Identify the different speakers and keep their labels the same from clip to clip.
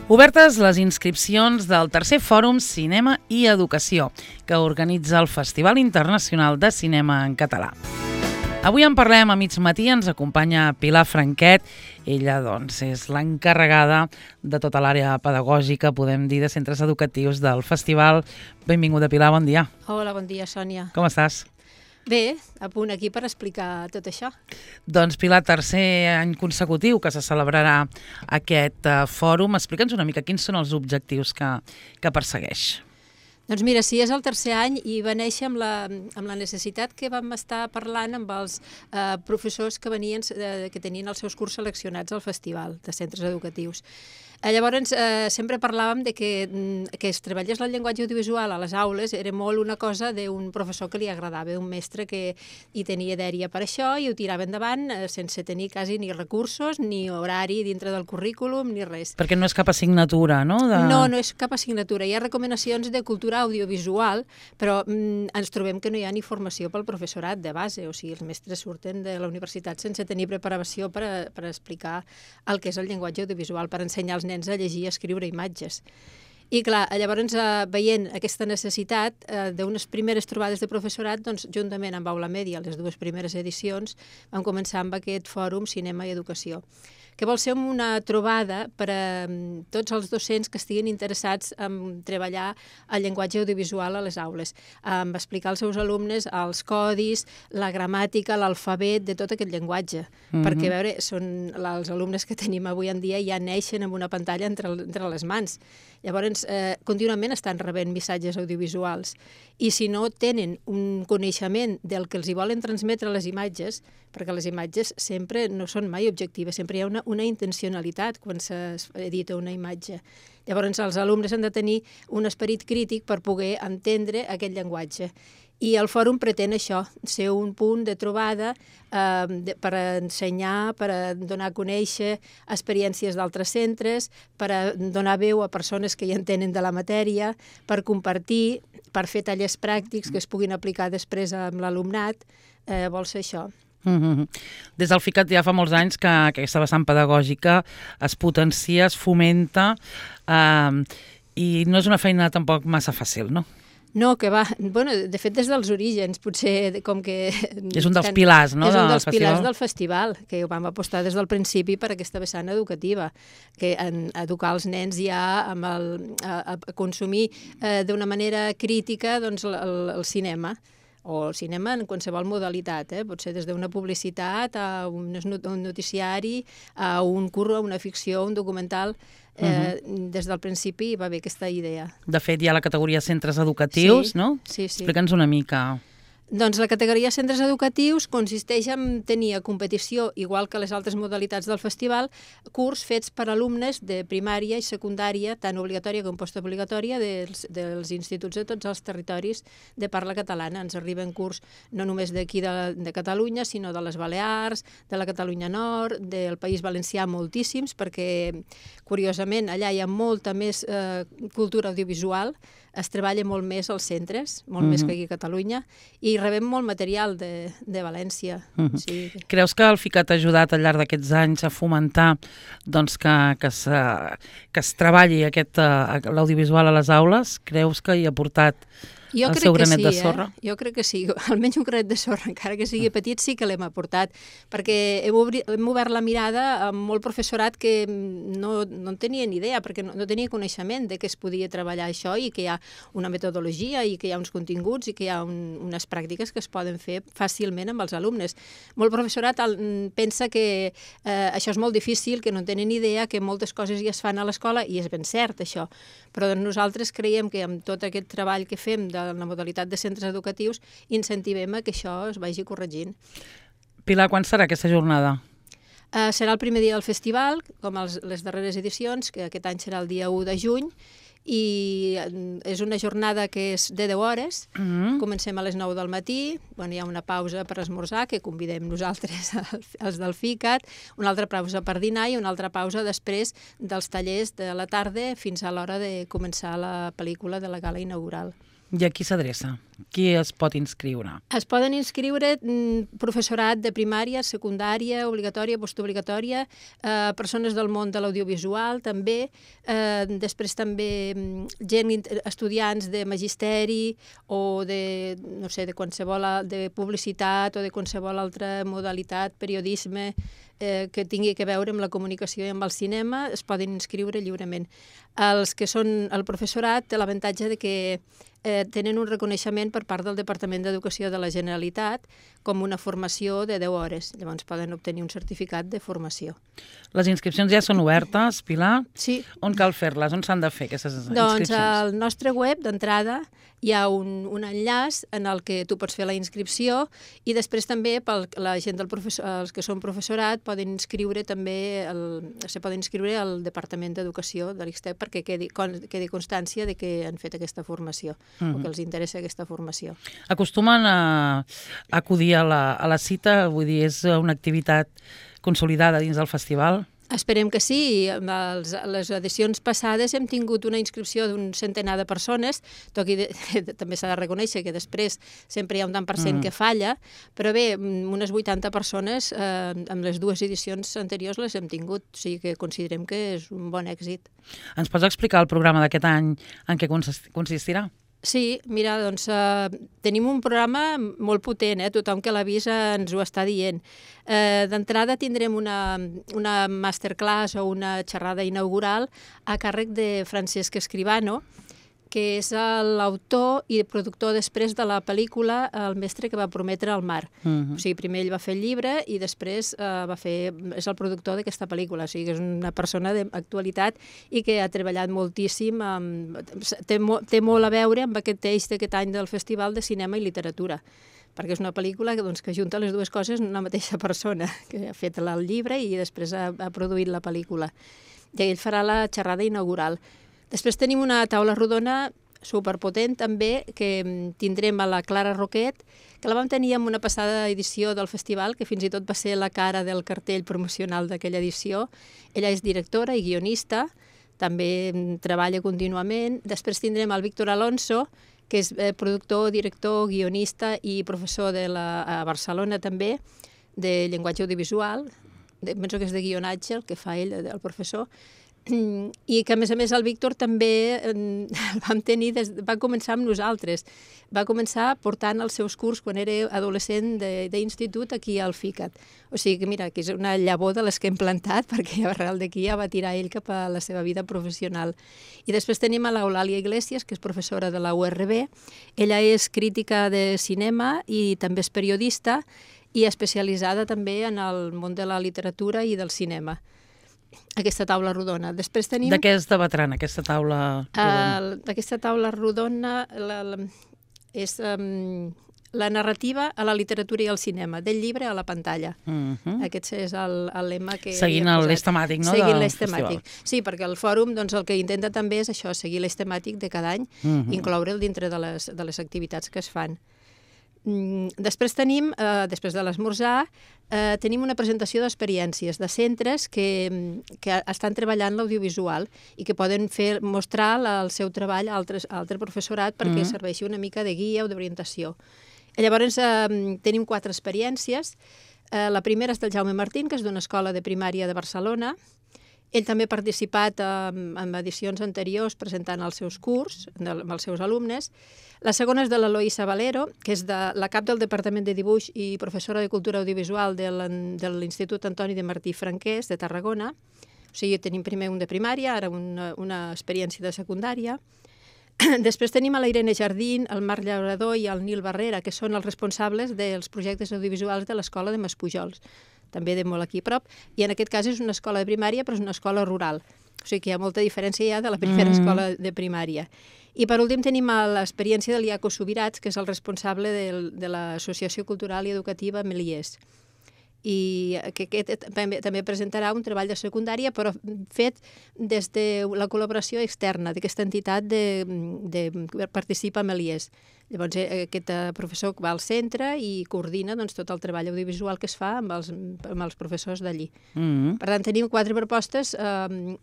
Speaker 1: Obertes les inscripcions del tercer Fòrum Cinema i Educació, que organitza el Festival Internacional de Cinema en Català. Avui en parlem a mig matí, ens acompanya Pilar Franquet. Ella, doncs, és l'encarregada de tota l'àrea pedagògica, podem dir, de centres educatius del festival. Benvinguda, Pilar, bon dia.
Speaker 2: Hola, bon dia, Sònia.
Speaker 1: Com estàs?
Speaker 2: Bé, a punt aquí per explicar tot això.
Speaker 1: Doncs, Pilar, tercer any consecutiu que se celebrarà aquest fòrum. Explica'ns una mica quins són els objectius que persegueix.
Speaker 2: Doncs mira, sí, és el tercer any i va néixer amb la necessitat que vam estar parlant amb els professors que tenien els seus curs seleccionats al festival de centres educatius. Llavors, sempre parlàvem de que es treballés el llenguatge audiovisual a les aules era molt una cosa d'un professor que li agradava, d'un mestre que hi tenia dèria per això i ho tirava endavant sense tenir quasi ni recursos, ni horari dintre del currículum, ni res.
Speaker 1: Perquè no és cap assignatura, no?
Speaker 2: No, no és cap assignatura. Hi ha recomanacions de cultura audiovisual, però ens trobem que no hi ha ni formació pel professorat de base, o sigui, els mestres surten de la universitat sense tenir preparació per explicar el que és el llenguatge audiovisual, per ensenyar als nens a llegir i a escriure imatges. I clar, llavors veient aquesta necessitat d'unes primeres trobades de professorat, doncs juntament amb Aula Mèdia, les dues primeres edicions, vam començar amb aquest fòrum Cinema i Educació, que vol ser una trobada per a tots els docents que estiguin interessats en treballar el llenguatge audiovisual a les aules, en explicar als seus alumnes els codis, la gramàtica, l'alfabet de tot aquest llenguatge, perquè a veure, els alumnes que tenim avui en dia ja neixen amb una pantalla entre les mans. Llavors, contínuament estan rebent missatges audiovisuals i si no tenen un coneixement del que els hi volen transmetre les imatges, perquè les imatges sempre no són mai objectives, sempre hi ha una intencionalitat quan s'edita una imatge. Llavors, els alumnes han de tenir un esperit crític per poder entendre aquest llenguatge. I el fòrum pretén això, ser un punt de trobada per ensenyar, per donar a conèixer experiències d'altres centres, per donar veu a persones que hi entenen de la matèria, per compartir, per fer tallers pràctics que es puguin aplicar després amb l'alumnat, vol ser això.
Speaker 1: Des del FICAT ja fa molts anys que aquesta vessant pedagògica es potencia, es fomenta i no és una feina tampoc massa fàcil, no?
Speaker 2: No, que va. Bueno, de fet, des dels orígens, potser com que...
Speaker 1: És un dels pilars, no?
Speaker 2: És un dels pilars del festival, que vam apostar des del principi per aquesta vessant educativa, que educar els nens ja a consumir d'una manera crítica el cinema, o el cinema en qualsevol modalitat, pot ser des d'una publicitat a un noticiari, a un curro, a una ficció, un documental. Des del principi va haver aquesta idea.
Speaker 1: De fet, hi ha la categoria centres educatius, no?
Speaker 2: Sí.
Speaker 1: Explica'ns una mica.
Speaker 2: Doncs la categoria centres educatius consisteix en tenir a competició, igual que les altres modalitats del festival, curs fets per alumnes de primària i secundària, tant obligatòria com postobligatòria, dels instituts de tots els territoris de parla catalana. Ens arriben curs no només d'aquí de Catalunya, sinó de les Balears, de la Catalunya Nord, del País Valencià, moltíssims, perquè, curiosament, allà hi ha molta més cultura audiovisual, es treballa molt més als centres, molt més que aquí a Catalunya, i rebem molt material de València. Sí.
Speaker 1: Creus que el FICAT ha ajudat al llarg d'aquests anys a fomentar que es treballi l'audiovisual a les aules? Creus que hi ha portat el seu granet de sorra?
Speaker 2: Jo crec que sí, almenys un granet de sorra, encara que sigui petit, sí que l'hem aportat, perquè hem obert la mirada a molt professorat que no en tenia ni idea, perquè no tenia coneixement de que es podia treballar això i que hi ha una metodologia i que hi ha uns continguts i que hi ha unes pràctiques que es poden fer fàcilment amb els alumnes. Molt professorat pensa que això és molt difícil, que no tenen idea, que moltes coses ja es fan a l'escola, i és ben cert això, però nosaltres creiem que amb tot aquest treball que fem de la modalitat de centres educatius incentivem a que això es vagi corregint.
Speaker 1: Pilar, quan serà aquesta jornada?
Speaker 2: Serà el primer dia del festival, com les darreres edicions, que aquest any serà el dia 1 de juny, i és una jornada que és de 10 hores, comencem a les 9 del matí, hi ha una pausa per esmorzar, que convidem nosaltres, els del FICAT, una altra pausa per dinar i una altra pausa després dels tallers de la tarda fins a l'hora de començar la pel·lícula de la gala inaugural.
Speaker 1: I a qui s'adreça? Qui es pot inscriure?
Speaker 2: Es poden inscriure professorat de primària, secundària, obligatòria, postobligatòria, persones del món de l'audiovisual també, després també estudiants de magisteri o de, no sé, de qualsevol, de publicitat o de qualsevol altra modalitat, periodisme, que tingui a veure amb la comunicació i amb el cinema, es poden inscriure lliurement. Els que són el professorat té l'avantatge de que tenen un reconeixement per part del Departament d'Educació de la Generalitat com una formació de 10 hores. Llavors poden obtenir un certificat de formació.
Speaker 1: Les inscripcions ja són obertes, Pilar?
Speaker 2: Sí.
Speaker 1: On cal fer-les? On s'han de fer aquestes inscripcions?
Speaker 2: Doncs al nostre web, d'entrada, hi ha un enllaç en el que tu pots fer la inscripció i després també la gent els que són professorat poden inscriure també se poden inscriure al Departament d'Educació de l'IXTEC perquè quedi constància de que han fet aquesta formació o que els interessa aquesta formació.
Speaker 1: Acostumen a acudir a la cita? Vull dir, és una activitat consolidada dins del festival?
Speaker 2: Esperem que sí. Les edicions passades hem tingut una inscripció d'un centenar de persones, també s'ha de reconèixer que després sempre hi ha un tant per cent que falla, però bé, unes 80 persones amb les dues edicions anteriors les hem tingut, o sigui que considerem que és un bon èxit.
Speaker 1: Ens pots explicar el programa d'aquest any en què consistirà?
Speaker 2: Sí, mira, doncs tenim un programa molt potent, tothom que l'ha vist ens ho està dient. D'entrada tindrem una masterclass o una xerrada inaugural a càrrec de Francesc Escribano, que és l'autor i productor després de la pel·lícula El mestre que va prometre al mar. O sigui, primer ell va fer el llibre i després és el productor d'aquesta pel·lícula. O sigui, que és una persona d'actualitat i que ha treballat moltíssim. Té molt a veure amb aquest eix d'aquest any del Festival de Cinema i Literatura, perquè és una pel·lícula que junta les dues coses en una mateixa persona, que ha fet el llibre i després ha produït la pel·lícula. I ell farà la xerrada inaugural. Després tenim una taula rodona superpotent també, que tindrem a la Clara Roquet, que la vam tenir en una passada edició del festival, que fins i tot va ser la cara del cartell promocional d'aquella edició. Ella és directora i guionista, també treballa contínuament. Després tindrem el Víctor Alonso, que és productor, director, guionista i professor a Barcelona també, de llenguatge audiovisual. Penso que és de guionatge el que fa ell, el professor. I que, a més, el Víctor també va començar amb nosaltres. Va començar portant els seus curs quan era adolescent d'institut aquí al FICAT. O sigui que, mira, que és una llavor de les que hem plantat, perquè arrel d'aquí ja va tirar ell cap a la seva vida professional. I després tenim a l'Eulàlia Iglesias, que és professora de la URB. Ella és crítica de cinema i també és periodista i especialitzada també en el món de la literatura i del cinema. Aquesta taula rodona. Després tenim...
Speaker 1: De què es debatran, aquesta taula rodona?
Speaker 2: Aquesta taula rodona és la narrativa a la literatura i al cinema, del llibre a la pantalla. Aquest és el lema que...
Speaker 1: Seguint l'eix temàtic, no?
Speaker 2: Seguint l'eix temàtic. Sí, perquè el fòrum el que intenta també és això, seguir l'eix temàtic de cada any, incloure'l dintre de les activitats que es fan. Després tenim, després de l'esmorzar, tenim una presentació d'experiències de centres que estan treballant l'audiovisual i que poden mostrar el seu treball a altre professorat perquè serveixi una mica de guia o d'orientació. Llavors tenim 4 experiències. La primera és del Jaume Martín, que és d'una escola de primària de Barcelona. Ell també ha participat en edicions anteriors presentant els seus curs amb els seus alumnes. La segona és de l'Eloïsa Valero, que és la cap del Departament de Dibuix i professora de Cultura Audiovisual de l'Institut Antoni de Martí Franquès de Tarragona. O sigui, tenim primer un de primària, ara una experiència de secundària. Després tenim a la Irene Jardín, el Marc Llaurador i el Nil Barrera, que són els responsables dels projectes audiovisuals de l'escola de Maspujols, també de molt aquí a prop, i en aquest cas és una escola de primària, però és una escola rural. O sigui que hi ha molta diferència ja de la primera escola de primària. I per últim tenim l'experiència de l'Iaco Subirats, que és el responsable de l'Associació Cultural i Educativa Meliers. I que aquest també presentarà un treball de secundària, però fet des de la col·laboració externa d'aquesta entitat de Participa Meliers, Llavors, aquest professor va al centre i coordina doncs, tot el treball audiovisual que es fa amb els professors d'allí. Per tant, tenim 4 propostes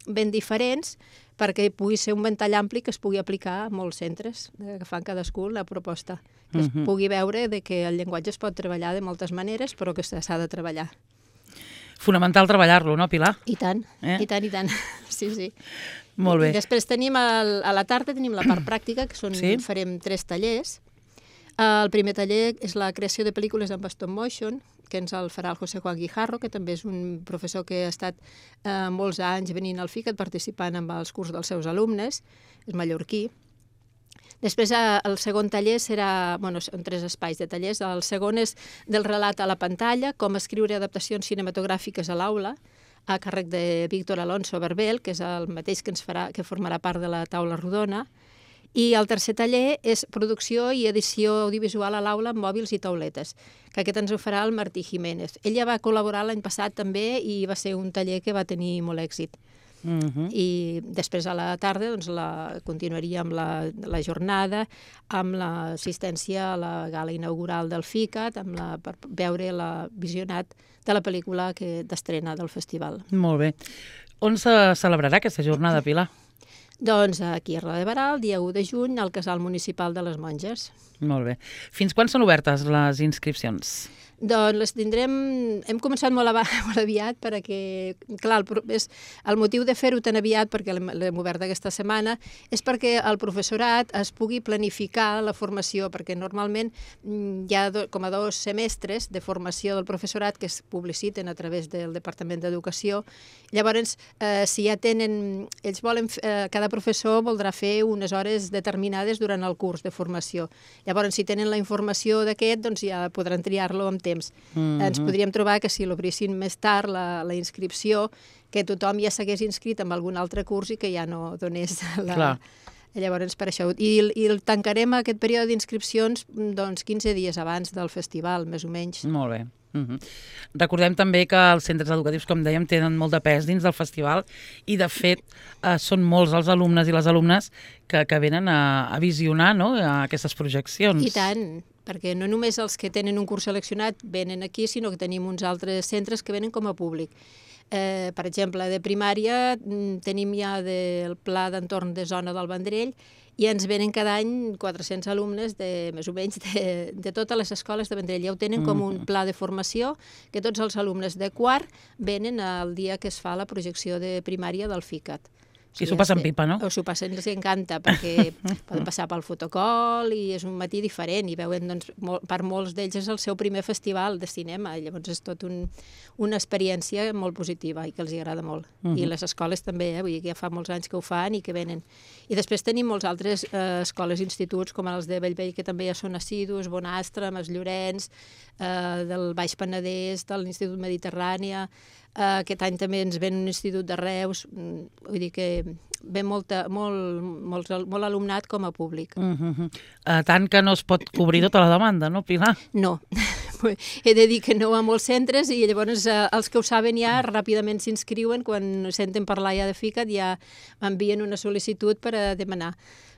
Speaker 2: ben diferents perquè pugui ser un ventall ampli que es pugui aplicar a molts centres, que fan cadascú la proposta. Que es pugui veure que el llenguatge es pot treballar de moltes maneres, però que s'ha de treballar.
Speaker 1: Fonamental treballar-lo, no, Pilar?
Speaker 2: I tant, i tant. Sí, sí.
Speaker 1: Molt bé.
Speaker 2: I després tenim, a la tarda, tenim la part pràctica, que farem 3 tallers. El primer taller és la creació de pel·lícules en stop motion, que ens el farà el José Juan Guijarro, que també és un professor que ha estat molts anys venint al FICAT participant en els cursos dels seus alumnes, és mallorquí. Després, el segon taller serà... són 3 espais de tallers. El segon és del relat a la pantalla, com escriure adaptacions cinematogràfiques a l'aula, a càrrec de Víctor Alonso Berbel, que és el mateix que formarà part de la taula rodona. I el tercer taller és producció i edició audiovisual a l'aula amb mòbils i tauletes, que aquest ens ho farà el Martí Jiménez. Ella va col·laborar l'any passat també i va ser un taller que va tenir molt èxit. I després a la tarda continuaria amb la jornada, amb l'assistència a la gala inaugural del FICAT, per veure el visionat de la pel·lícula d'estrena del festival.
Speaker 1: Molt bé. On se celebrarà aquesta jornada, Pilar?
Speaker 2: Doncs aquí a Roda de Barà, el dia 1 de juny, al Casal Municipal de les Monges.
Speaker 1: Molt bé. Fins quan són obertes les inscripcions?
Speaker 2: Doncs les tindrem... Hem començat molt aviat perquè, clar, el motiu de fer-ho tan aviat, perquè l'hem obert aquesta setmana, és perquè el professorat es pugui planificar la formació, perquè normalment hi ha com a 2 semestres de formació del professorat que es publiciten a través del Departament d'Educació. Llavors, si ja tenen... Ells volen... Cada professor voldrà fer unes hores determinades durant el curs de formació. Llavors, si tenen la informació d'aquest, doncs ja podran triar-lo amb temps. Ens podríem trobar que si l'obrissin més tard, la inscripció, que tothom ja s'hagués inscrit en algun altre curs i que ja no donés la... Llavors, per això. I tancarem aquest període d'inscripcions 15 dies abans del festival, més o menys.
Speaker 1: Molt bé. Recordem també que els centres educatius, com dèiem, tenen molt de pes dins del festival i, de fet, són molts els alumnes i les alumnes que venen a visionar aquestes projeccions.
Speaker 2: I tant, perquè no només els que tenen un curs seleccionat venen aquí, sinó que tenim uns altres centres que venen com a públic. Per exemple, de primària tenim ja el Pla d'Entorn de Zona del Vendrell i ens venen cada any 400 alumnes, més o menys, de totes les escoles de Vendrell. Ja ho tenen com un pla de formació, que tots els alumnes de quart venen el dia que es fa la projecció de primària del FICAT.
Speaker 1: I s'ho passen pipa, no?
Speaker 2: O s'ho passen, els encanta, perquè poden passar pel fotocol i és un matí diferent i veuen, doncs, per molts d'ells és el seu primer festival de cinema, llavors és tot una experiència molt positiva i que els agrada molt. I les escoles també, vull dir que ja fa molts anys que ho fan i que venen. I després tenim molts altres escoles i instituts, com els de Bellvei, que també ja són assidus, Bonastre, Mas Llorenç, del Baix Penedès, de l'Institut Mediterrània. Aquest any també ens ven un institut de Reus, vull dir que ve molt alumnat com a públic.
Speaker 1: Tant que no es pot cobrir tota la demanda, no, Pilar?
Speaker 2: No, he de dir que no a molts centres i llavors els que ho saben ja ràpidament s'inscriuen, quan senten parlar ja de FICAT ja envien una sol·licitud per a demanar,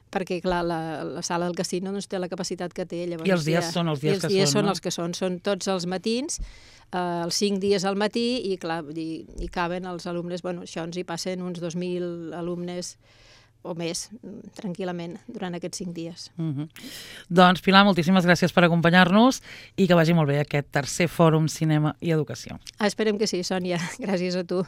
Speaker 2: perquè, clar, la sala del casino no té la capacitat que té.
Speaker 1: I els dies són els dies que són, no?
Speaker 2: I els dies són els que són tots els matins, els 5 dies al matí, i clar, hi caben els alumnes, això ens hi passen uns 2.000 alumnes o més, tranquil·lament, durant aquests 5 dies.
Speaker 1: Doncs, Pilar, moltíssimes gràcies per acompanyar-nos i que vagi molt bé aquest tercer Fòrum Cinema i Educació.
Speaker 2: Esperem que sí, Sònia. Gràcies a tu.